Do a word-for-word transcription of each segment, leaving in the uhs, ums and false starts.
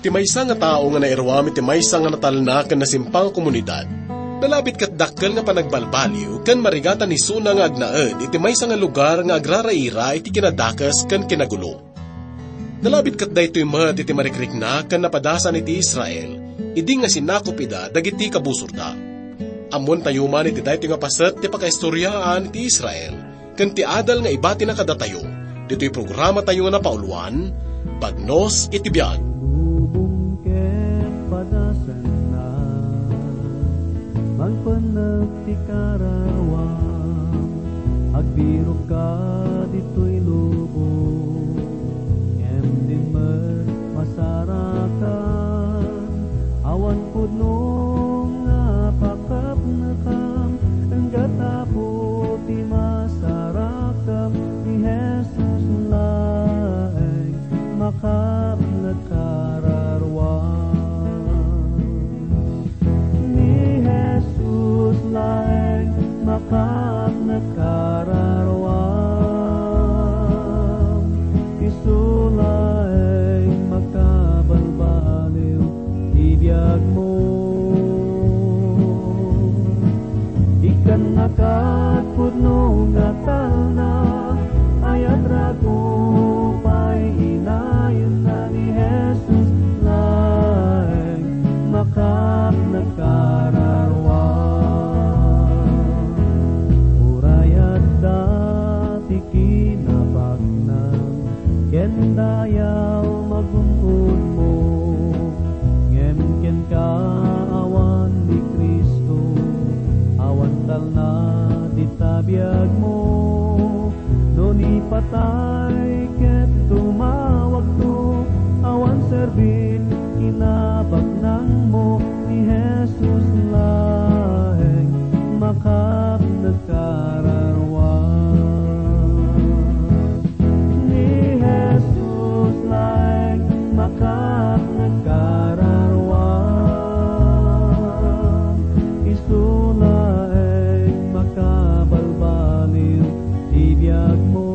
Ti maysa nga tao nga nairuam iti maysa nga natalna ken nasimpang a komunidad, nalabit ket dakkel nga panagbalbaliw ken marigatan isuna nga agnaed iti maysa nga lugar nga agraraira iti kinadakes ken kinagulo. Nalabit ket daytoy met iti marikrikna ken napadasan iti Israel idi nga sinakop ida dagiti kabusorda. Ammoentayo man iti daytoy nga paset ti pakaistoriaan iti Israel ken ti adal nga ibatina kadatayo ditoy programatayo nga napauluan, Bagnos iti Biag. Lubong ket padasanna, mangpennek ti kararuam, agbirokka ditoy lubong, ngem di met masarakan, awan pudno nga pakapnekam, enggat Apo ti masarakam, ni Jesus laeng makapnek kararuam. Ni Jesus laeng makapnek kararuam. Isu laeng makabalbaliw ti biagmo. Ikkannakat pudno nga talna, ayat rago pay inayon na ni Jesus laeng makapnek kararuam. Uray adda ti kinabaknang ken dayaw magun-unmo, ngem kenka awan ni Cristo, awan talna dita biagmo. No ni patay ket tumawagto, awan serbit kinabaknangmo, ni Jesus laeng makapnek kararuam. Ni Jesus laeng makapnek kararuam. Isu laeng makabalbaliw ti biagmo.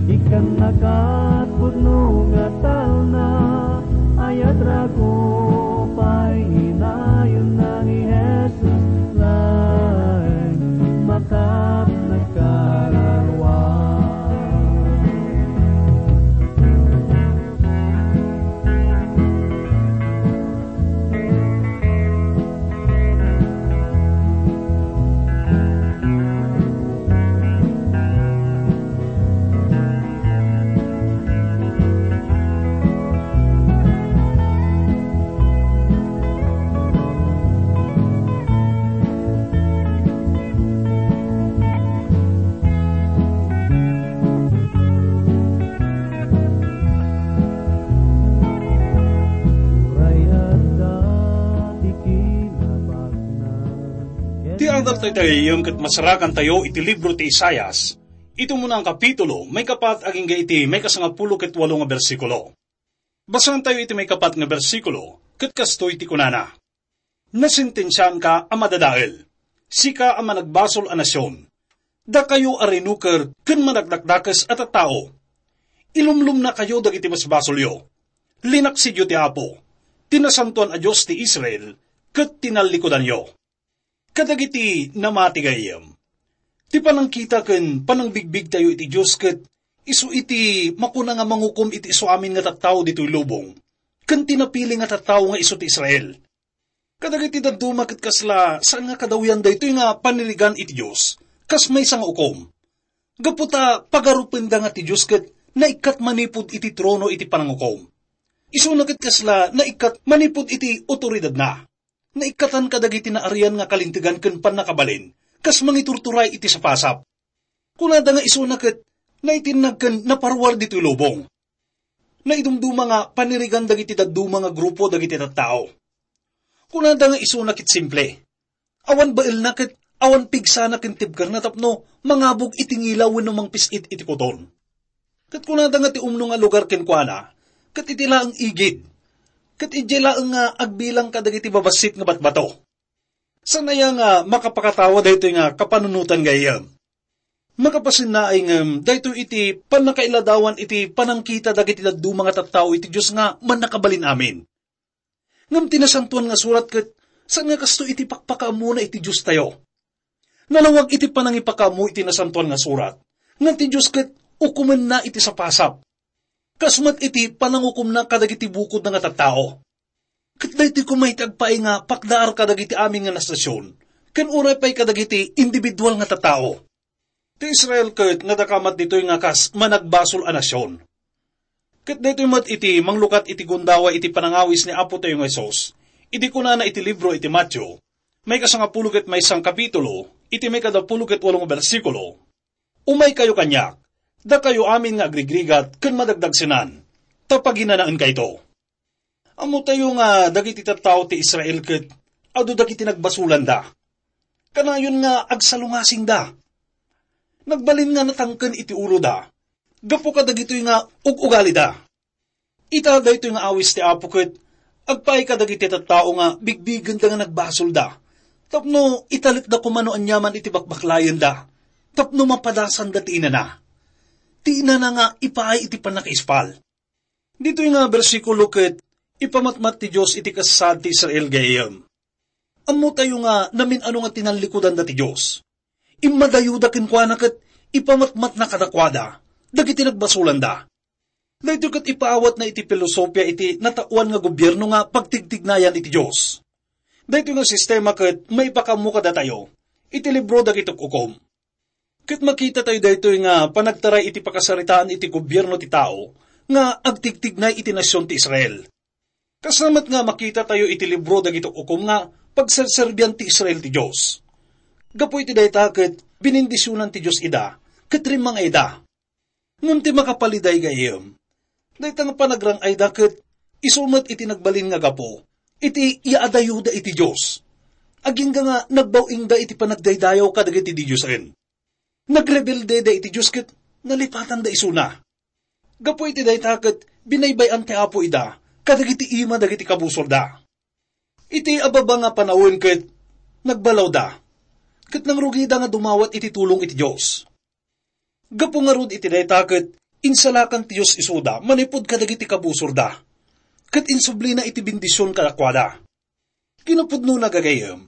Ikkannakat pudno nga talna, ayat rago pay inayon na ni Jesus laeng makapnek kararuam. Uray adda ti kinabaknang. Ti adal tayo tayo ket masarakan tayo iti libro ti Isaias, iti umuna nga kapitulo, maikapat agingga iti maikasangapulo ket walo nga bersikulo. Basaen tayo iti maikapat nga bersikulo, ket kastoy ti kunana, "Nasentensiaanka a madadael, sika a managbasol a nasion. Dakayo a rinuker ken managdakdakes a tattao. Ilumlumnakayo dagiti basbasolyo. Linaksidyo ti Apo, ti Nasantoan a Dios ti Israel, ket tinallikudanyo." Kadagiti namati gayyem, ti panangkita ken panangbigbigtayo iti Dios ket isu iti makuna nga mangukom iti isuamin nga tattao ditoy lubong, ken ti napili nga tattao nga isu ti Israel. Kadagiti dadduma ket kasla saan nga kadawyan daytoy nga panirigan iti Dios, kas maysa nga ukom. Gapu ta pagarupenda nga ti Dios ket naikkat manipud iti trono iti panangukom. Isuna ket kasla naikkat manipud iti otoridadna. Naikkatan kadagiti naarian nga kalintegan ken pannakabalin, kas mangiturturay iti sapasap. Kunada nga isuna ket naitinnag ken naparuar ditoy lubong. Naidumduma nga panirigan dagiti dadduma nga grupo dagiti tattao. Kunada nga isuna ket simple. Awan baelna ket awan pigsana ken tibkerna tapno mangabog iti ngila wenno mangpis-it iti kuton. Ket kunada nga ti umno nga lugar kenkuana, ket iti laeng igid, ket idiay laeng nga agbilang kadagiti babassit nga batbato. Saan aya nga makapakatawa daytoy nga kapanunotan gayyem? Makapasinnaay ngem daytoy iti pannakailadawan iti panangkita dagiti dadduma nga tattao iti Dios nga Mannakabalin-amin. Ngem ti Nasantoan nga Surat ket saan nga kasto iti pakpakaammona iti Diostayo. Nalawag iti panangipakaammo iti Nasantoan nga Surat nga ti Dios ket ukomenna iti sapasap, kas met iti panangukomna kadagiti bukodna nga tattao. Ket daytoy koma iti agpaay nga pakdaar kadagiti amin nga nasion, ken uray pay kadagiti individual nga tattao. Ti Israel ket nadakamat ditoy nga kas managbasol a nasion. Ket daytoy met iti manglukat iti gundaway iti panangawis ni Apotayo nga Jesus, idi kunana iti libro iti Mateo, maikasangapulo ket maysa nga kapitulo, iti maikadapulo ket walo nga bersikulo, "Umaykayo kaniak, dakayo amin nga agrigrigat ken madagdagsenan, ta paginanaenkayto." Ammotayo nga dagiti tattao ti Israel ket adu dagiti nagbasolanda. Kanayon nga agsalungasingda. Nagbalin nga natangken iti uloda gapu kadagitoy nga ug-ugalida. Ita daytoy nga awis ti Apo ket agpaay kadagiti tattao nga bigbigenda nga nagbasolda tapno italekda koma no aniaman iti bakbaklayenda tapno mapadasanda ti inana. Ti inana nga ipaay iti pannakaispal. Ditoy nga bersikulo ket ipamatmat ti Dios iti kasasaad ti Israel gayyem. Ammotayo nga namin-ano nga tinallikudanda ti Dios. Immadayoda kenkuana ket ipamatmatna kadakuada dagiti nagbasolanda. Daytoy ket ipaawatna iti filosofia iti nataoan nga gobierno nga pagtigtignayan iti Dios. Daytoy nga sistema ket maipakaammo kadatayo iti libro dagiti uk-ukom. Ket makitatayo daytoy nga panagtaray iti pakasaritaan iti gobierno ti tao nga agtigtignay iti nasion ti Israel. Kasla met nga makitatayo iti libro dagiti uk-ukom nga pagserserbian ti Israel ti Dios. Gapu iti dayta ket binindisionan ti Dios ida ket rimmang-ayda. Ngem ti makapaliday gayyem, dayta nga panagrang-ayda ket isu met iti nagbalin nga gapu iti yaadayoda iti Dios. Agingga nga nagbaw-ingda iti panagdaydayaw kadagiti didiosen. Nagrebelde da iti Dios ket nalipatanda isuna. Gapu iti dayta ket binaybay-an ti Apo ida kadagiti ima dagiti kabusorda. Iti ababa nga panawen ket nagbalawda, ket nangrugida nga dumawat iti tulong iti Dios. Gapu ngarud iti dayta ket insalakan ti Dios isuda manipud kadagiti kabusorda, ket insublina iti bendision kadakuada. Kinapudnona, gagayyem,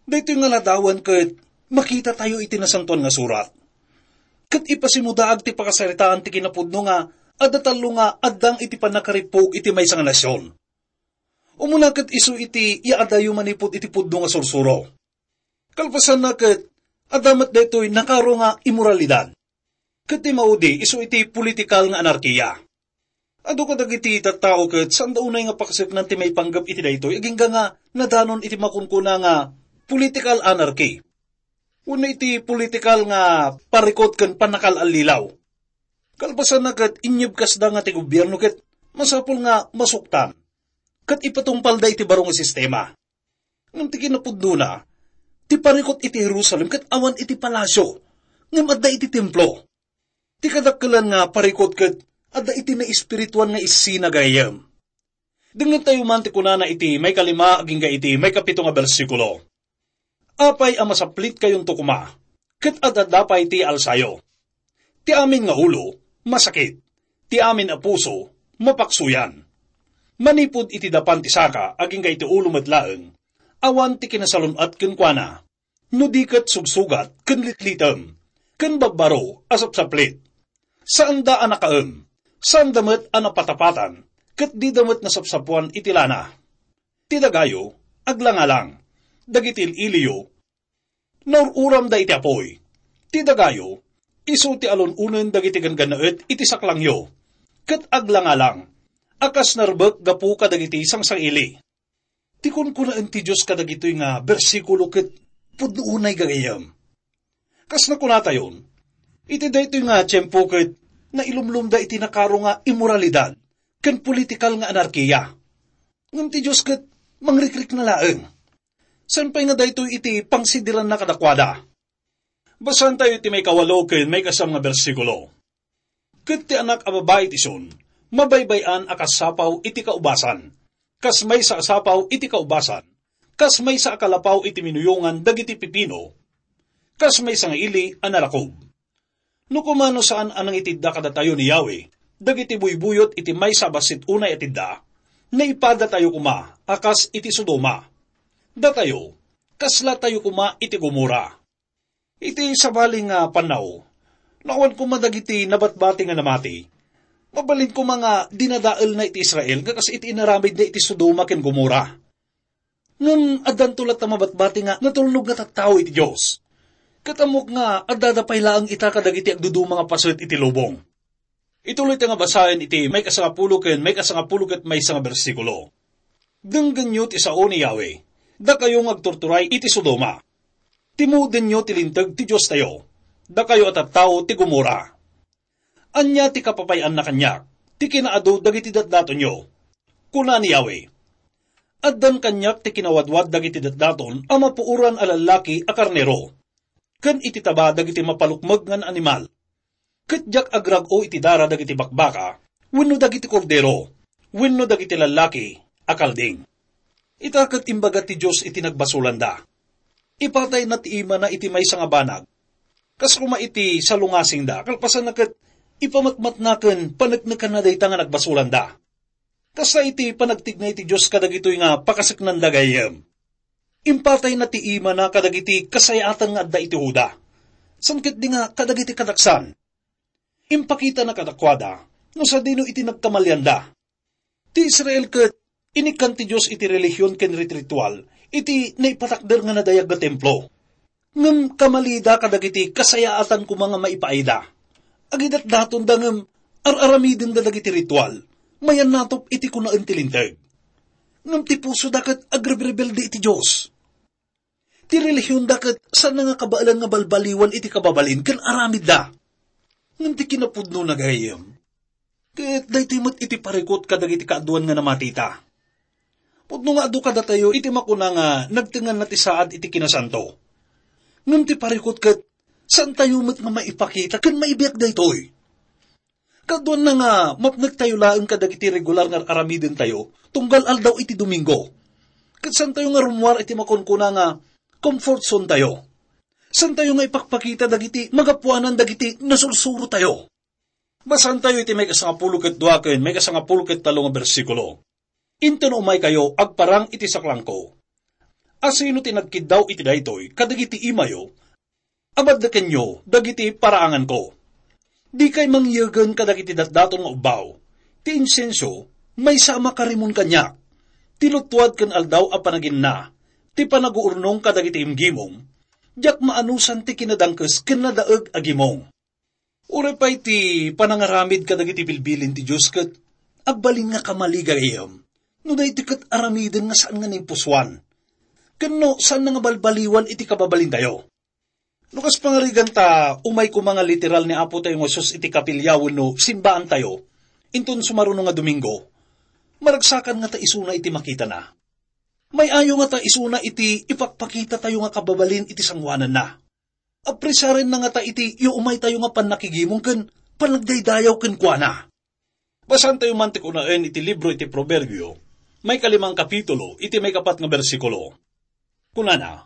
daytoy nga ladawan ket makitatayo iti Nasantoan nga Surat. Ket ipasimudaag ti pakasaritaan ti kinapudno nga adda tallo nga addang iti pannakarippug iti maysa nga nasion. Umuna ket isu iti yaadayo manipud iti pudno nga sursuro. Kalpasanna ket adda met daytoy nakaro nga imoralidad. Ket ti maudi isu iti politikal nga anarkiya. Adu kadagiti tattao ket saanda unay nga pakaseknan ti maipanggep iti daytoy agingga nga nadanon iti makunkuna nga political anarchy wenno iti politikal nga parikut ken pannakal-allilaw. Kalpasanna ket inyebkasda nga ti gobierno ket masapul nga masuktan ket ipatungpalda iti baro nga sistema. Ngem ti kinapudnona, ti parikut iti Jerusalem ket awan iti palasio, ngem adda iti templo. Ti kadakkelan nga parikut ket adda iti naespirituan nga essena gayyem. Dengngentayo man ti kunana iti maikalima agingga iti maikapito nga bersikulo. Apay a masaplitkayonto koma, ket adda pay ti alsayo. Ti amin nga ulo, masakit. Ti amin a puso, mapaksuyan. Manipud iti dapan ti saka agingga iti ulo met laeng, awan ti kinasalun-at kenkuana. No di ket sugsugat ken litlitem, ken babbaro a sapsaplit. Saanda a nakaem, saanda met a napatapatan, ket dida met nasapsapuan iti lana. Ti dagayo, aglangalang. Dagiti il-iliyo, naur-uramda iti apuy. Ti dagayo, isu ti alun-onen dagiti ganggannaet iti saklangyo, ket aglangalang a kas narbek gapu kadagiti sangsangiili. Ti kunkunaen ti Dios kadagitoy nga bersikulo ket pudno unay gagayyem. Kas nakunatayon, iti daytoy nga tiempo ket nailumlomda iti nakaro nga immoralidad ken politikal nga anarkiya. Ngem ti Dios ket mangrikrikna laeng. Saan pay nga daytoy iti pangsidiranna kadakuada. Basaentayo ti maikawalo ken maikasam nga bersikulo. Ket ti anak a babai ti Sion, mabaybay-an a kas sapaw iti kaubasan, kas maysa a sapaw iti kaubasan, kas maysa a kalapaw iti minuyongan dagiti pipino, kas maysa nga ili a narakob. No kumano saan a nangitidda kadatayo ni Yahweh dagiti buybuyot iti maysa a bassit unay a tidda, naipadatayo koma a kas iti Sodoma. Datayo, kaslatayo koma iti Gomorra. Iti sabali nga pannaw, no awan koma dagiti nabatbati nga namati, mabalin koma nga dinadaelna iti Israel nga kas iti inaramidna iti Sodoma ken Gomorra. Ngem addanto latta mabatbati nga natulnog nga tattao iti Dios. Ket ammok nga addada pay laeng ita kadagiti agduduma nga paset iti lubong. Ituloy ta nga basaen iti maikasangapulo ken maikasangapulo ket maysa nga bersikulo. Denggenyo ti sao ni Yahweh, dakayo nga agturturay iti Sodoma. Timudenyo ti linteg ti Diostayo, dakayo a tattao ti Gomorra. Ania ti kapapay-anna kaniak, ti kinaadu dagiti datdatonyo? Kuna ni Yahweh, addan kaniak ti kinawadwad dagiti datdaton a mapuoran a lallaki a karnero, ken iti taba dagiti mapalukmeg nga animal. Ket diak agrag-o iti dara dagiti bakbaka, wenno dagiti kordero, wenno dagiti lallaki a kalding. Ita ket imbaga ti Dios iti nagbasolanda. Ipatayna ti imana iti maysa nga banag. Kas koma iti salungasingda, kalpasanna ket ipamatmatna ken paneknekanna dayta nga nagbasolanda. Kasta iti panagtigna iti Dios kadagitoy nga pakaseknanda gayyem. Impatayna ti imana kadagiti kasayaatan nga adda iti Juda. Saan ketdi nga kadagiti kadaksan. Impakitana kadakuada no sadino iti nagkamalianda. Ti Israel ket inikkan ti Dios iti relihion ken rit-, ritual iti naipatakder nga nadayag nga templo. Ngem kamalida kadagiti kasayaatan koma nga maipaayda. Agidatdatonda ngem ar-aramidenda dagiti ritual. Mayannatop iti kunaen ti Linteg. Ngem ti pusoda ket agrebrebelde iti Dios. Ti relihionda ket saanna nga kabaelan nga balbaliwan iti kababalin ken aramidda. Ngem ti kinapudnona, gayyem, ket daytoy met iti parikut kadagiti kaaduan nga namatita. Pudno nga adu kadatayo iti makuna nga nagtenganna ti saad iti kinasanto. Ngem ti parikut ket saantayo met nga maipakita ken maibiag daytoy. Kaduanna nga mapnektayo laeng kadagiti regular nga ar-aramidentayo tunggal aldaw iti Domingo. Ket saantayo nga rummuar iti makunkuna nga comfort zone tayo. Saantayo nga ipakpakita dagiti magapuanan dagiti nasursurotayo. Basaentayo iti maikasangapulo ket dua ken maikasangapulo ket tallo nga bersikulo. Inton umaykayo agparang iti saklangko, asino ti nagkiddaw iti daytoy kadagiti imayo? Amadda kenyo dagiti paraanganko. Dikay mangyegen kadagiti datdaton nga ubbaw. Ti insenso, maysa a makarimon kaniak. Ti luttuad ken aldaw a panaginna, ti panaguurnong kadagiti imgimong. Diak maanusan ti kinadangkes ken nadaeg a gimong. Uray pay ti panangaramid kadagiti bilbilin ti Dios ket agbalin nga kamali, gayyem, no daytoy ket aramiden nga saan nga naimpusoan, ken no saanna nga balbaliwan iti kababalintayo. No kas pangarigan ta umay koma nga literal ni Apotayo nga Jesus iti kapilya wenno simbaantayo, inton sumaruno nga Domingo, maragsakan ngata isuna iti makitana. May-ayo ngata isuna iti ipakpakitatayo nga kababalin iti sangoananna. Apresarenna ngata iti iumaytayo nga pannakigimong ken pannagdaydayaw kenkuana. Basaentayo man ti kunaen iti libro iti Proverbio, maikalimang kapitulo, iti maikapat nga bersikulo. Kunana,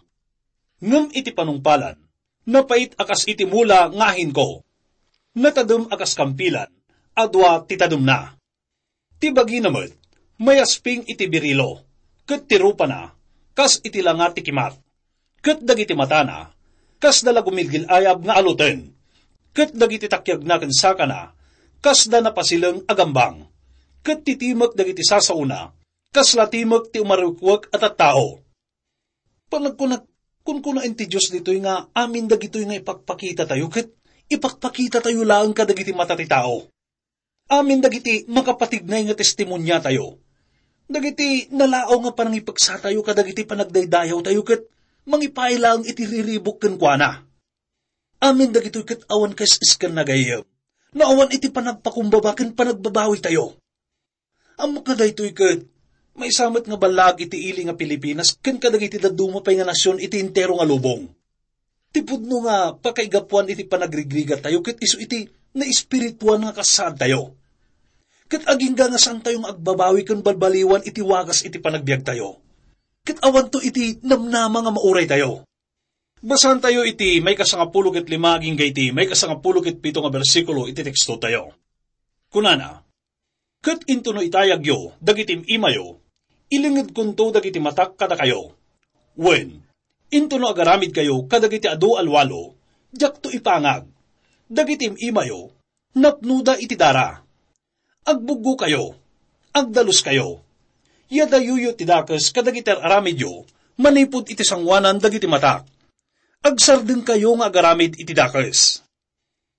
"Ngem iti panungpalan, napait a kas iti mula nga ahinko. Natadem a kas kampilan, a dua ti tademna." Ti bagina met, mayasping iti birilo, ket ti rupana, kas iti langa ti kimat, ket dagiti matana, kasda la gumilgil-ayab nga aluten, ket dagiti takiagna ken sakana, kasda napasileng a gambang, ket ti timek dagiti sasaona, kasla timek ti umarwekwek a tattao. Panagkunak, kunkunaen ti Dios ditoy nga amin dagitoy nga ipakpakitatayo ket ipakpakitatayo laeng kadagiti mata ti tao. Amin dagiti makapatignay nga testimoniatayo, dagiti nalaaw nga panangipeksatayo kadagiti panagdaydayawtayo ket mangipaay laeng iti riribuk kenkuana. Amin dagitoy ket awan kaes-eskanna, gayyem, no awan iti panagpakumbaba ken panagbabawitayo. Ammok nga daytoy ket maysa met nga ballaag iti ili nga Pilipinas ken kadagiti dadduma pay nga nasion iti entero nga lubong. Ti pudno nga pakaigapuan iti panagrigrigattayo ket isu iti naespirituan nga kasaadtayo. Ket agingga nga saantayo nga agbabawi ken balbaliwan iti wagas iti panagbiagtayo. Ket awanto iti namnama nga mauraytayo. Basaentayo iti maikasangapulo ket lima agingga iti maikasangapulo ket pito nga bersikulo iti tekstotayo. Kunana, "Ket intono itayagyo dagiti im-imayo, ilingedkonto dagiti matak kadakayo. Wen, intono agaramidkayo kadagiti adu a lualo, diakto ipangag. Dagiti im-imayo, napnoda iti dara. Agbuggokayo, agdaluskayo. Yadayuyo ti dakes kadagiti ar-aramidyo manipud iti sangoanan dagiti matak. Agsardengkayo nga agaramid iti dakes.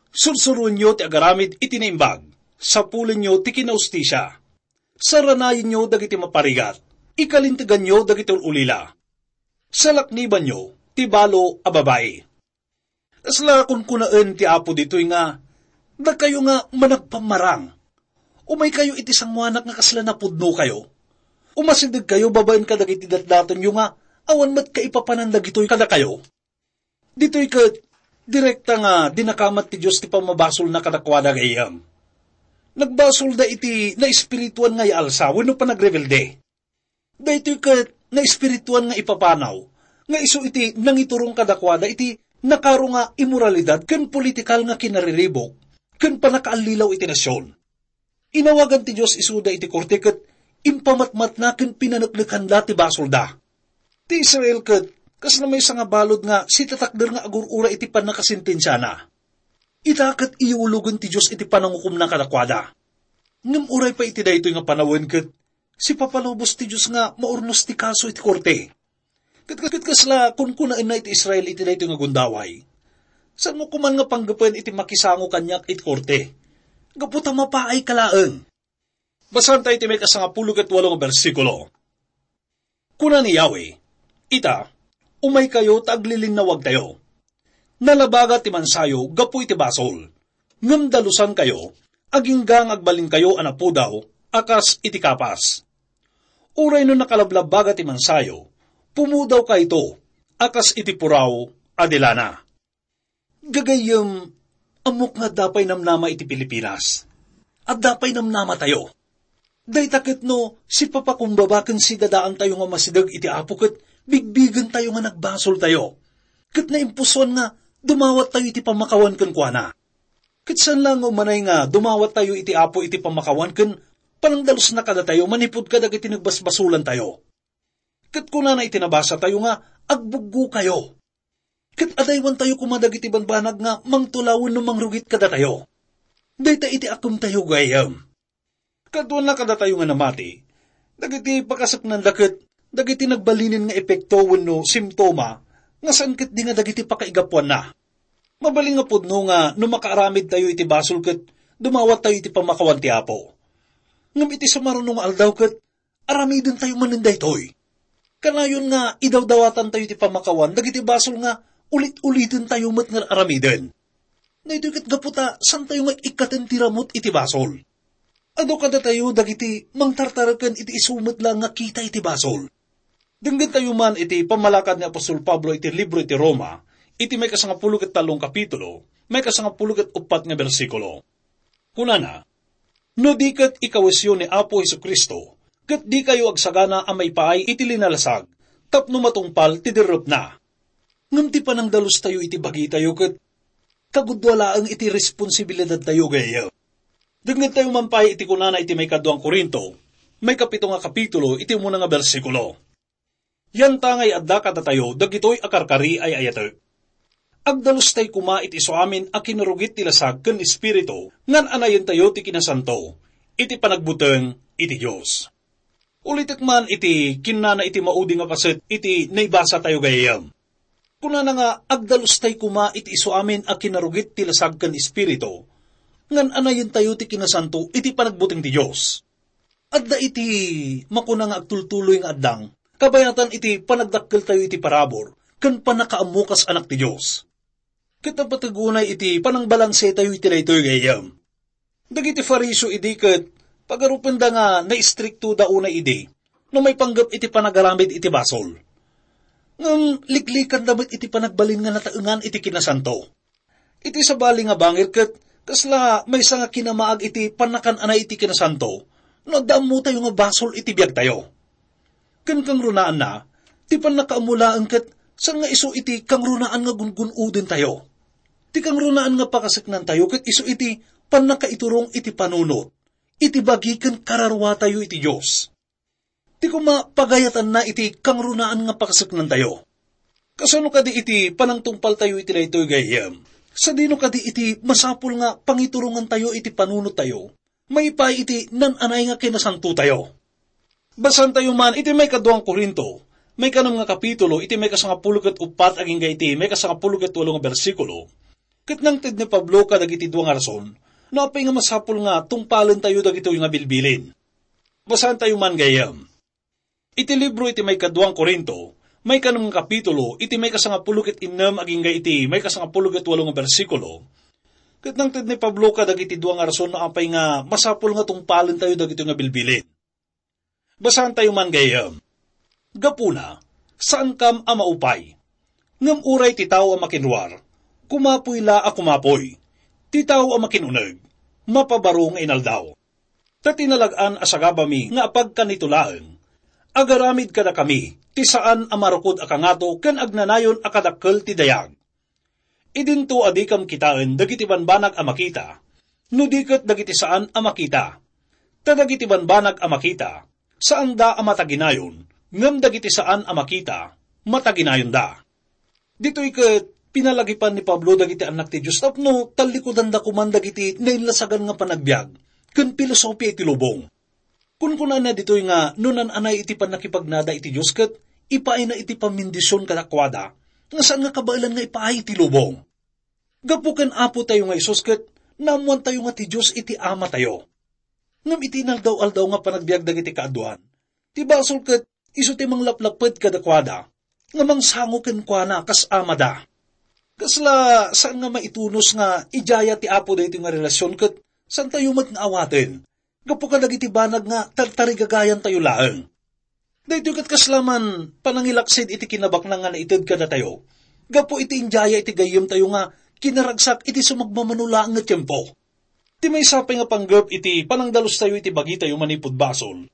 Sursuroenyo ti agaramid iti naimbag, sapulenyo ti kinahustisia. Saranayenyo dagiti maparigat, ikalinteganyo dagiti ul-ulila. Salaknibanyo ti balo a babai." Kasla kunkunaen ti Apo ditoy nga, "Dakayo nga managpammarang, umaykayo iti sangoanak nga kasla napudnokayo. Umasidegkayo babaen kadagiti datdatonyo nga awan met kaipapanan dagitoy kadakayo." Ditoy ket direkta nga dinakamat ti Dios ti pammabasolna kadakuada, gayyem. Nagbasolda iti naespirituan nga yaalsa wenno panagrebelde. Daytoy ket naespirituan nga ipapanaw nga isu iti nangiturong kadakuada iti nakaro nga imoralidad ken politikal nga kinariribuk ken pannakaallilaw iti nasion. Inawagan ti Dios isuda iti korte ket impamatmatna ken pinaneknekanda ti basolda. Ti Israel ket kasla maysa nga balud nga sitatakder nga agur-ura iti pannakasentensiana. Ita ket iyulogen ti Dios iti panangukomna kadakuada. Ngem uray pay iti daytoy nga panawen ket sipapalubos ti Dios nga maurnos ti kaso iti korte. Ket, ket kasla kunkunaenna iti Israel iti daytoy nga gundaway, "Saanmo koman nga panggepen iti makisango kaniak iti korte, gapu ta mapaayka laeng." Basaentayo iti maikasangapulo ket walo nga bersikulo. Kuna ni Yahweh, "Ita, umaykayo ta aglilinnawagtayo. Nalabaga ti mansayo gapu iti basol, ngem dalusankayo, agingga nga agbalinkayo a napudaw a kas iti kapas. Uray no nakalablabbaga ti mansayo, pumudawkayto a kas iti puraw a di lana." Gagayyem, ammok nga adda pay namnama iti Pilipinas. Adda pay namnamatayo. Dayta ket no sipapakumbaba ken sidadaantayo nga masideg iti Apo ket bigbigentayo nga nagbasoltayo. Ket naimpusoan nga dumawattayo iti pammakawan kenkuana. Ket saan laeng nga umanay nga dumawattayo iti Apo iti pammakawan ken panangdalusna kadatayo manipud kadagiti nagbasbasolantayo. Ket kunana iti nabasatayo nga agbuggokayo. Ket adaywantayo koma dagiti banbanag nga mangtulaw wenno mangrugit kadatayo. Dayta iti akemtayo gayyem. Kaduana kadatayo nga namati, dagiti pakaseknanda ket dagiti nagbalinen nga epekto wenno simptoma nga saan ketdi nga dagiti pakaigapuanna. Mabalin nga pudno nga no makaaramidtayo iti basol ket dumawattayo iti pammakawan ti Apo. Ngem iti sumaruno nga aldaw ket aramidentayo manen daytoy. Kanayon nga idawdawatantayo iti pammakawan dagiti basol nga ulit-ulitentayo met nga aramiden. Daytoy ket gapu ta saantayo nga ikkaten ti ramut iti basol. Adu kadatayo dagiti mangtartareken iti isu met laeng nga kita iti basol. Denggentayo man iti pammalakad ni apostol Pablo iti libro iti Roma, iti maikasangapulo ket tallo nga kapitulo, maikasangapulo ket uppat nga bersikulo. Kunana, "No di ket ikawesyo ni Apo Jesu-Cristo, ket dikayo agsagana a maipaay iti linalasag tapno matungpal ti derrepna." Ngem ti panangdalustayo iti bagitayo ket kagudua laeng iti responsibilidadtayo gayyem. Dengngettayo man pay iti kunana iti maikaduang Corinto, maikapito nga kapitulo, iti umuna nga bersikulo. Yantangay adda kadatayo dagitoy a karkari ay ayatek. Agdalustay koma iti isu amin a kinarugit ti lasag ken espiritu, ngan anayentayo ti kinasanto iti panagbuteng iti Dios. Ulitek man iti kinnana iti maudi nga paset iti naibasatayo gayyem. Kunana nga agdalustay koma iti isu amin a kinarugit ti lasag ken espiritu, ngan anayentayo ti kinasanto iti panagbuteng ti Dios. Adda iti makuna nga agtultuloy nga addang, kabayatan iti panagdakkeltayo iti parabur ken pannakaammo kas anak ti Dios. Ket napateg unay iti panangbalansetayo iti daytoy gayyem. Dagiti Fariseo idi ket pagarupenda nga naistriktoda unay idi no maipanggep iti panagaramid iti basol. Ngem liklikanda met iti panagbalin nga nataengan iti kinasanto. Iti sabali nga bangir ket kasla maysa nga kinamaag iti pannakan-anay iti kinasanto no adda ammotayo nga basol iti biagtayo. Ken kangrunaanna, ti pannakaammo laeng ket Saan nga isu iti kangrunaan nga gungun-odentayo. Ti kangrunaan nga pakaseknantayo ket isu iti pannakaiturong iti panunot, iti bagi ken kararuatayo iti Dios. Ti koma, pagayatanna iti kangrunaan nga pakaseknantayo. Kasano kadi iti panangtungpaltayo iti daytoy, gayyem? Sadino kadi iti masapul nga pangiturongantayo iti panunottayo maipaay iti naan-anay nga kinasantotayo? Basaentayo man iti maikaduang Corinto, maikanem nga kapitulo, iti maikasangapulo ket uppat agingga iti maikasangapulo ket walo nga bersikulo. Ket nangted ni Pablo kadagiti dua nga rason no apay nga masapul nga tungpalentayo dagitoy nga bilbilin. Basaentayo man, gayyem. Iti libro iti maikaduang Corinto, maikanem nga kapitulo, iti maikasangapulo ket innem agingga iti maikasangapulo ket walo nga bersikulo, ket nangted ni Pablo kadagiti dua nga rason no apay nga masapul nga tungpalentayo dagitoy nga bilbilin. Basaentayo man, gayyem. Gapuna, saankam a maupay. Ngem uray ti tao a makinruar, kumapoy la a kumapoy. Ti tao a makinuneg, mapabaro nga inaldaw. Ta tinalag-an a sagabami nga apagkanito laeng, agaramid kadakami ti saan a marukod a kangato ken agnanayon a kadakkel ti dayag. Idinto a dikam kitaen dagiti banbanag a makita, no di ket dagiti saan a makita. Ta dagiti banbanag a makita, saanda a mataginayon, ngem dagiti saan a makita, mataginayonda. Ditoy ket pinalagipan ni Pablo dagiti annak ti Dios tapno tallikudanda koman dagiti nainlasagan nga panagbiag ken pilosopia iti lubong. Kunkunana ditoy nga no naan-anay iti pannakipagnada iti Dios ket ipaayna iti pammendision kadakuada, nga saan nga kabaelan nga ipaay iti lubong. Gapu ken Apo tayo nga Jesus ket naammoan tayo nga ti Dios iti Ama tayo. Ngem iti inaldaw-aldaw nga panagbiag dagiti kaaduan, ti basol ket isu ti manglaplapped kadakuada, nga mangsango kenkuana kas amada. Kasla saan nga maitunos nga idiaya ti Apo daytoy nga relasion ket saan tayo met nga awaten, gapu kadagiti banag nga tartarigagayan tayo laeng. Daytoy ket kasla man panangilaksid iti kinabaknang nga naited kadatayo, gapu iti indiaya iti gayyem tayo nga kinaragsak iti sumagmamano laeng nga tiempo. Ti maysa pay nga panggep iti panangdalus tayo iti bagi tayo manipud basol,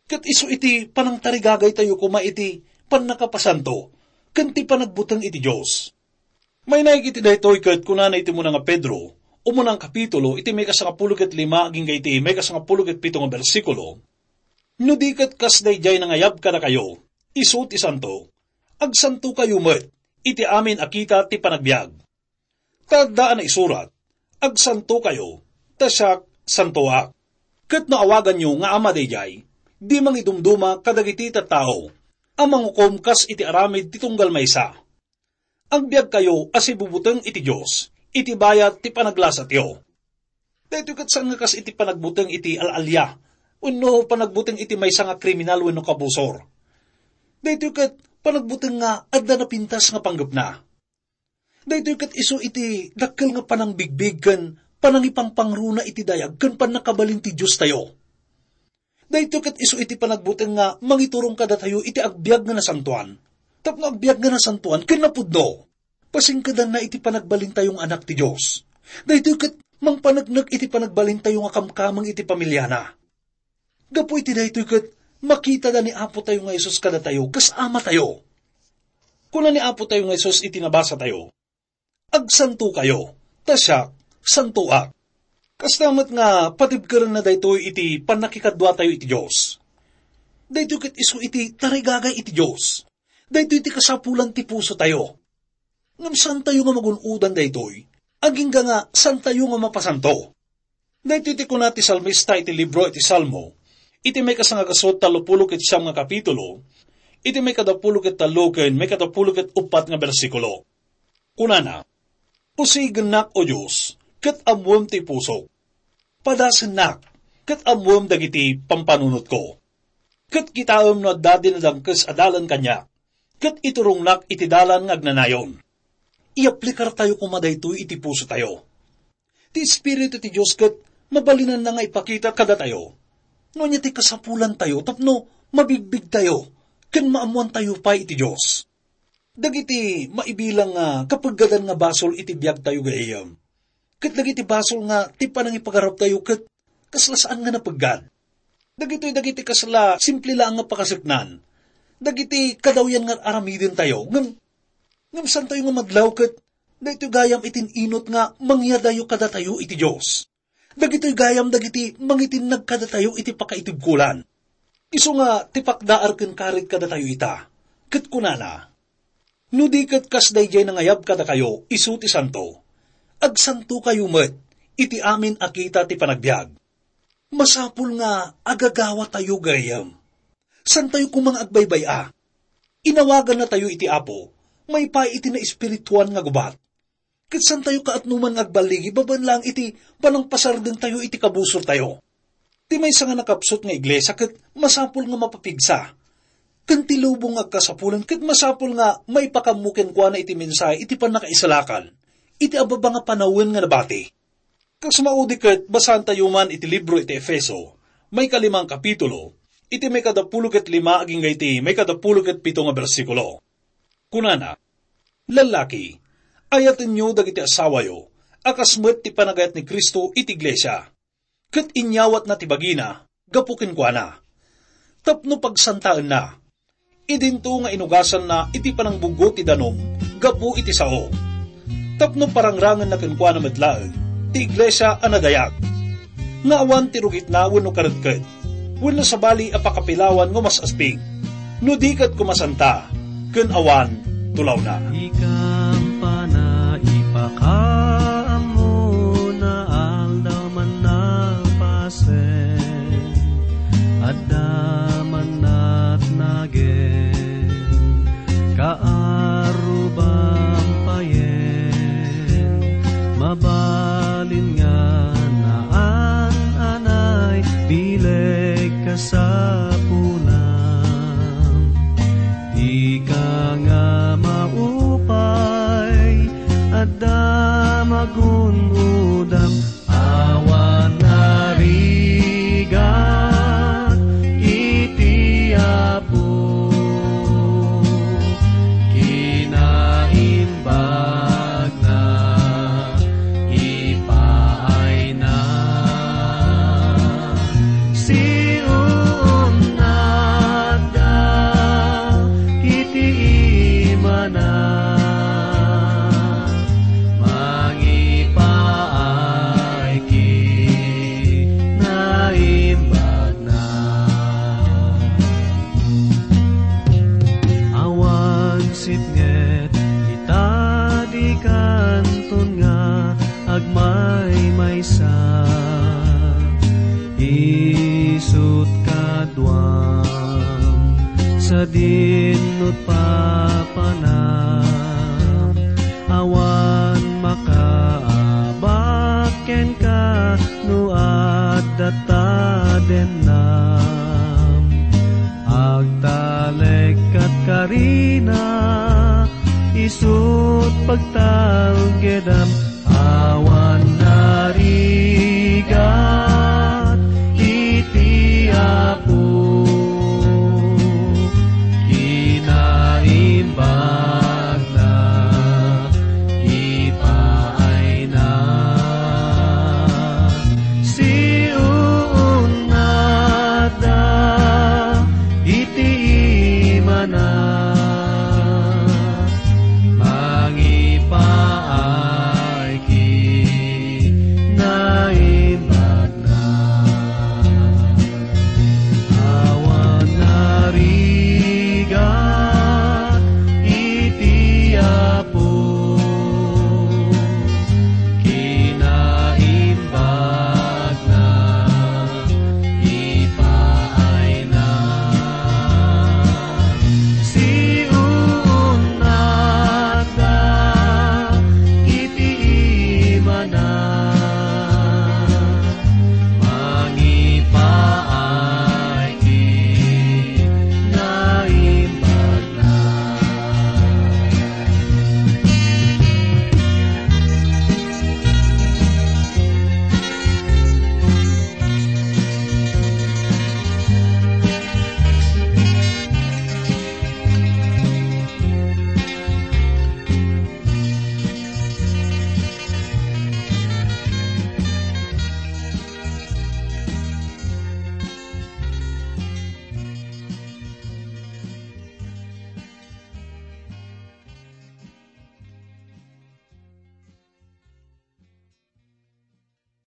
ket isu iti panangtarigagay tayo koma iti pannakapasanto ken ti panagbuteng iti Dios. Mainaig iti daytoy ket kunana iti umuna nga Pedro, umuna nga kapitulo, iti maikasangapulo ket lima agingga iti maikasangapulo ket pito nga bersikulo, "No di ket kas daydiay nangayab kadakayo, isu ti santo, agsantokayo met iti amin a kita ti panagbiag. Ta adda a naisurat, 'Agsantokayo, ta siak, santoak.' Ket no awaganyo nga ama daydiay, di mangidumduma kadagiti tattao a mangukom kas iti aramid ti tunggal maysa. Agbiagkayo a sibubuteng iti Dios iti bayat ti panaglasatyo." Daytoy ket saan nga kas iti panagbuteng iti al-alia wenno panagbuteng iti maysa nga kriminal wenno kabusor. Daytoy ket panagbuteng nga adda napintas nga panggepna. Daytoy ket isu iti dakkel nga panangbigbig ken panangipangpangruna iti dayag ken pannakabalin ti Diostayo. Daytoy ket isu iti panagbuteng nga mangiturong kadatayo iti agbiag nga nasantoan. Tapno agbiag nga nasantoan ken napudno, pasingkedanna iti panagbalintayo nga anak ti Dios. Daytoy ket mangpaneknek iti panagbalintayo nga kamkameng iti pamiliana. Gapu iti daytoy ket makitada ni Apo tayo nga Jesus kadatayo kas Ama tayo. Kuna ni Apo tayo nga Jesus iti nabasa tayo, "Agsantokayo, ta siak, santoak." Kasta met nga patibkerenna daytoy iti pannakikaduatayo iti Dios. Daytoy ket isu iti tarigagay iti Dios. Daytoy ti kasapulan ti pusotayo. Ngem saantayo nga magun-odan daytoy, agingga nga saantayo nga mapasanto. Daytoy ti kuna ti salmista iti libro iti Salmo, iti maikasangagasut tallopulo ket siam nga kapitulo, iti maikadapulo ket tallo ken maikadapulo ket uppat nga bersikulo. Kunana, "Usigennak, O Dios, ket ammoem ti pusok. Padasennak, ket ammoem dagiti pampanunotko. Ket kitaem no adda dinadangkes a dalan kaniak, ket iturongnak iti dalan nga agnanayon." Iyaplikartayo koma daytoy iti pusotayo. Ti Espiritu ti Dios ket mabalinanna nga ipakita kadatayo no ania ti kasapulantayo tapno mabigbigtayo ken maammoantayo pay iti Dios. Dagiti maibilang nga kapeggadan nga basol iti biagtayo, gayyem, ket dagiti basol nga ti panangipagaruptayo ket kasla saan nga napeggad. Dagitoy dagiti kasla simple laeng nga pakaseknan. Dagiti kadawyan nga aramidentayo, ngem Ngem santayo nga madlaw ket daytoy gayam iti inut nga mangyadayo kadatayo iti Dios. Dagitoy gayam dagiti mangitinnag kadatayo iti pakaitibkolan. Isu nga ti pakdaar ken karit kadatayo ita, ket kunana, "No di ket kas daydiay nangayab kadakayo isu ti santo, agsantokayo met iti amin a kita ti panagbiag." Masapul nga agagawatayo gayam. Santayo koma nga agbaybay-a. Inawagannatayo iti Apo, maipaay iti naespirituan nga gubat. Ket santayo kaatnoman nga agballigi babaen laeng iti panangpasardengtayo iti kabusortayo. Ti maysa nga nakapsut nga iglesia ket masapul nga mapapigsa. Ken ti lubong nga agkasapulan ket masapul nga maipakammo kenkuana iti mensahe iti pannakaisalakan iti ababa nga panawen nga nabati. Kas maudi ket basaantayo man iti libro iti Efeso, maikalimang kapitulo, iti maikadapulo ket lima agingga iti maikadapulo ket pito nga bersikulo. Kunana, "Lallaki, ayatenyo dagiti asawayo, a kas met ti panagayat ni Cristo iti iglesia, ket inyawatna ti bagina gapu kenkuana, tapno pagsantaenna, idinto nga inugasanna iti panangbuggo ti danum gapu iti sao, tapno parangrangenna kenkuana met laeng ti iglesia a nadayag, nga awan ti rugitna wenno karetket, wenno sabali a pakapilawan nga umas-asbing, no di ket koma santa ken awan tulawna." Ikampana ipakaammo na aldaw man napasen, adda man natnagen, kaarruban payen, mabalin nga naan-anay bileg kasapulan. Ika nga maupay, adda magun-odam, awan narigat iti Apo. Kinaimbag na ipaayna. Siunnatda iti imana. Mangipaay kinaimbag na. Awan sipnget ita di kanton nga agmaymaysa. Isut kaduam sadin no papanam. Awan makaabak kenka no adda tadennam. Agtalek kat karina, isut pagtalgedam.